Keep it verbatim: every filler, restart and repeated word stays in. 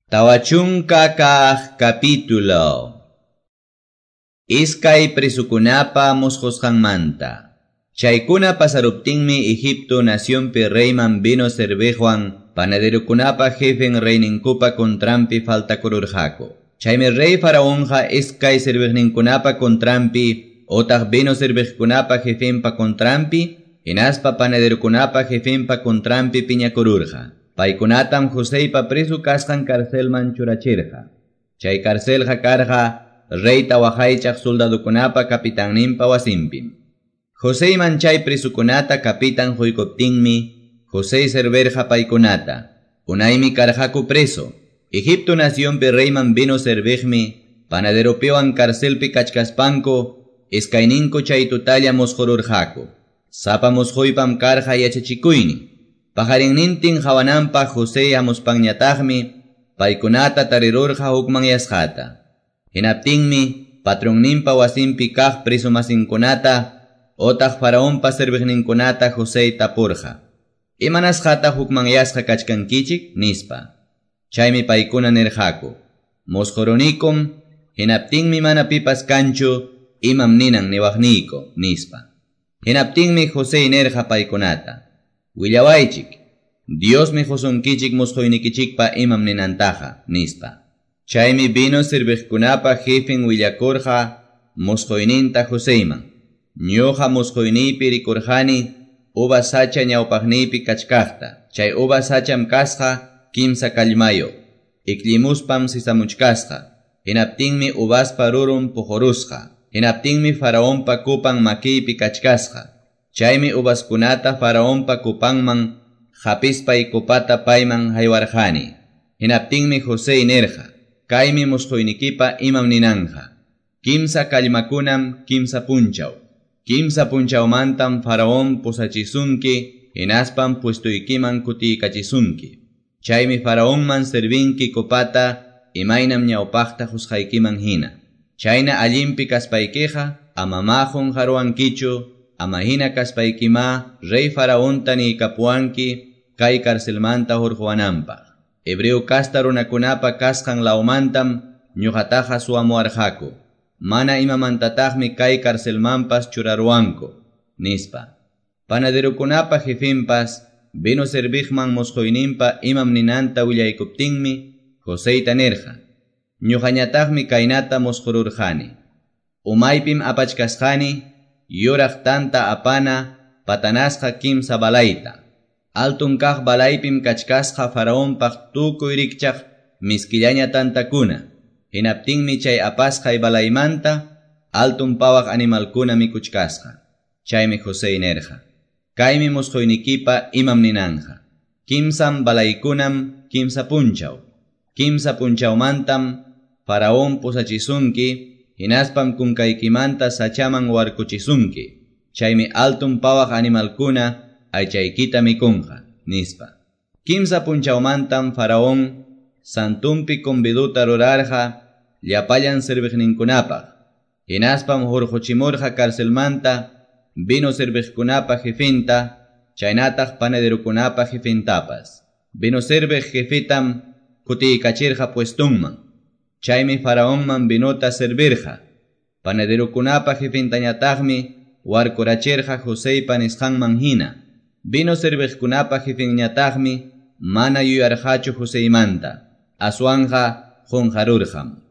Tawa chunka kaq capítulo. Iskay presukunapa musqusqanmanta. Chaykuna pasaruptinmi Egipto nacionpi reyman vino serviqwan panaderukunapa jefen reyninkupa contranpi faltakururqaku. Chaymi rey faraonqa iskay serviqninkunapa contranpi otaq vino serviqkunapa jefenpa contranpi hinaspa panaderukunapa jefenpa contranpi piñakururqa. Paykunatam Joseypa preso kasqan carcelman churachirqa. Chay carcelqa karqa reyta waqaychaq soldadukunapa capitanninpa wasinpim. Joseyman chay presukunata capitan huykuptinmi José servirqa paykunata. Unaymi karqaku preso. Egipto nacionpi reyman vino serviqmi panaderopiwan carcelpi kachkaspanku iskayninku chay tutalla musqururqaku. Sapa musquypam karqa yachachikuynin. Pajarinnintin hawananpaq José hamuspanñataqmi paykunata tarirurqa hukmanyasqata. Hinaptinmi patronninpa wasinpi kaq presomasinkunata otaq faraonpa serviqninkunata José tapurqa. Imanasqata hukmanyasqa kachkankichik nispa. Chaymi paykuna nirqaku. Musqurunikum hinaptinmi mana pipas kanchu imam ninan niwaqniyku nispa. Hinaptinmi José nirqa paykunata. Willawaychik, Diosmi qusunkichik musquynikichikpa imam ninantaqa, nispa. Chaymi vino serviqkunapa jefen willakurqa musquyninta Joseyman. Ñuqa musquyniypi rikurqani uva sacha ñawpaqniypi kachkaqta. Chay uva sacham kasqa kimsa kallmayo. Iklimuspam sisamuchkasqa. Hinaptinmi uvaspa rurun puqurusqa. Hinaptinmi faraonpa kupan makiypi kachkasqa. Chaymi uvaskunata faraonpa kupanman hapispay kupata payman haywarqani. Hinaptinmi José nirqa, kaymi musquynikipa imam ninanja. Kimsa kallmakunam kimsa punchaw. Kimsa punchawmantam faraón pusachisunki, hinaspam puestuykiman kutiykachisunki. Chaymi faraonman servinki kupata imaynam ñawpaqta qusqaykiman hina. Chayna allinpi kaspaykiqa amama qunqaruwankichu. Ama hina kaspaykima rey faraonta niykapuwanki kay carcelmanta hurquwananpaq. Hebreo kasta runakunapa kasqan lawmantam ñuqataqa suwamuwarqaku. Mana imamantataqmi kay carcelmanpas churaruwanku, nispa. Panaderukunapa jefenpas vino serviqman musquyninpa imam ninanta willaykuptinmi Joseyta nirqa. Ñuqañataqmi kaynata musqururqani. Umaypim apachkasqani yuraq tanta apana patanasqa kimsa balayta. Altun kaq balaypim kachkasqa faraonpaq tukuy rikchaq miskillaña tantakuna. Hinaptinmi chay apasqay balaymanta altun pawaq animalkuna mikuchkasqa. Chaymi José nirqa. Kaymi musquynikipa imam ninanja. Kimsam balaykunam kimsa punchaw. Kimsa punchawmantam faraón pusachisunki hinaspam kunkaykimanta sachaman warkuchisunki. Chaymi altun pawaq animalkuna aychaykita mikunqa, nispa. Kimsa punchawmantam faraón santumpi conviduta rurarqa llapallan serviqninkunapaq. Hinaspam hurquchimurqa carcelmanta vino serviqkunapa jefenta, chaynataq panaderukunapa jefentapas. Vino serviq jefetam kutiykachirqa puestunman. Chaymi faraonman vinota servirqa. Panaderukunapa jefentañataqmi warkurachirqa Joseypa nisqanman hina. Vino serviqkunapa jefenñataqmi mana yuyarqachu Joseymanta. Aswanqa qunqarurqam.